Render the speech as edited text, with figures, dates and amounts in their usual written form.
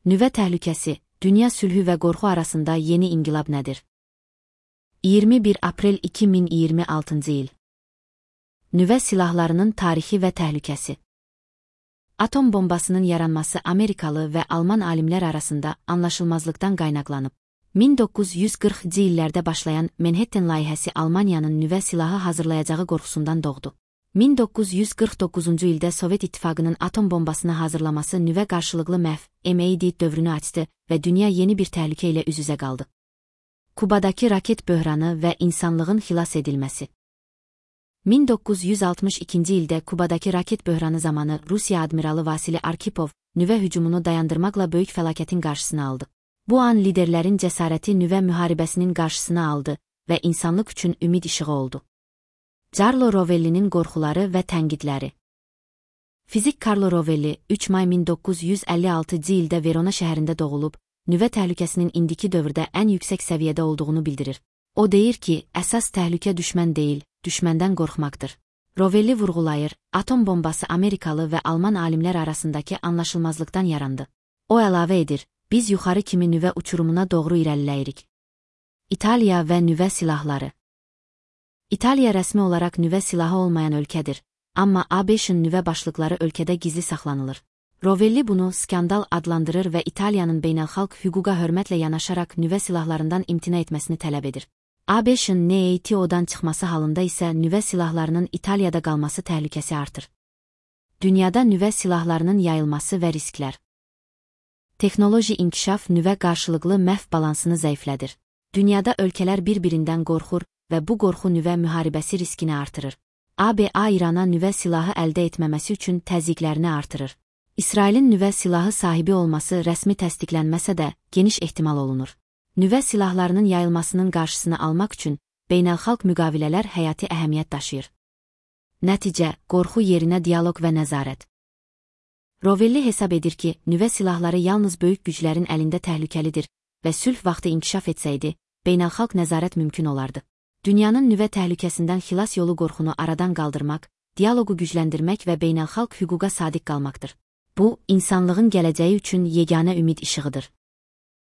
Nüvə təhlükəsi, dünya sülhü və qorxu arasında yeni inqilab nədir? 21 aprel 2026 il. Nüvə silahlarının tarixi və təhlükəsi. Atom bombasının yaranması Amerikalı və Alman alimlər arasında anlaşılmazlıqdan qaynaqlanıb. 1940-cı illərdə başlayan Manhattan layihəsi Almaniyanın nüvə silahı hazırlayacağı qorxusundan doğdu. 1949-cu ildə Sovet İttifaqının atom bombasını hazırlaması nüvə qarşılıqlı məhv (MAD) dövrünü açdı və dünya yeni bir təhlükə ilə üz-üzə qaldı. Kubadakı raket böhranı və insanlığın xilas edilməsi. 1962-ci ildə Kubadakı raket böhranı zamanı Rusiya admiralı Vasili Arkhipov nüvə hücumunu dayandırmaqla böyük fəlakətin qarşısını aldı. Bu an liderlərin cəsarəti nüvə müharibəsinin qarşısını aldı və insanlıq üçün ümid işığı oldu. Carlo Rovellinin qorxuları və tənqidləri. Fizik Carlo Rovelli 3 may 1956-cı ildə Verona şəhərində doğulub, nüvə təhlükəsinin indiki dövrdə ən yüksək səviyyədə olduğunu bildirir. O deyir ki, əsas təhlükə düşmən deyil, düşməndən qorxmaqdır. Rovelli vurğulayır, atom bombası Amerikalı və Alman alimlər arasındakı anlaşılmazlıqdan yarandı. O əlavə edir, biz yuxarı kimi nüvə uçurumuna doğru irəliləyirik. İtaliya və nüvə silahları. İtaliya rəsmi olaraq nüvə silahı olmayan ölkədir, amma ABŞ-ın nüvə başlıqları ölkədə gizli saxlanılır. Rovelli bunu skandal adlandırır və İtaliyanın beynəlxalq hüquqa hörmətlə yanaşaraq nüvə silahlarından imtina etməsini tələb edir. ABŞ-ın NATO-dan çıxması halında isə nüvə silahlarının İtaliyada qalması təhlükəsi artır. Dünyada nüvə silahlarının yayılması və risklər. Texnoloji inkişaf nüvə qarşılıqlı məhv balansını zəiflədir. Dünyada ölkələr bir-birindən qorxur və bu qorxu nüvə müharibəsi riskini artırır. ABA İrana nüvə silahı əldə etməməsi üçün təzyiqlərini artırır. İsrailin nüvə silahı sahibi olması rəsmi təsdiqlənməsə də geniş ehtimal olunur. Nüvə silahlarının yayılmasının qarşısını almaq üçün beynəlxalq müqavilələr həyati əhəmiyyət daşıyır. Nəticə, qorxu yerinə dialoq və nəzarət. Rovelli hesab edir ki, nüvə silahları yalnız böyük güclərin əlində təhlükəlidir və sülh vaxtı inkişaf etsəydi, beynəlxalq nəzarət mümkün olardı. Dünyanın nüvə təhlükəsindən xilas yolu qorxunu aradan qaldırmaq, dialoqu gücləndirmək və beynəlxalq hüquqa sadiq qalmaqdır. Bu, insanlığın gələcəyi üçün yeganə ümid işığıdır.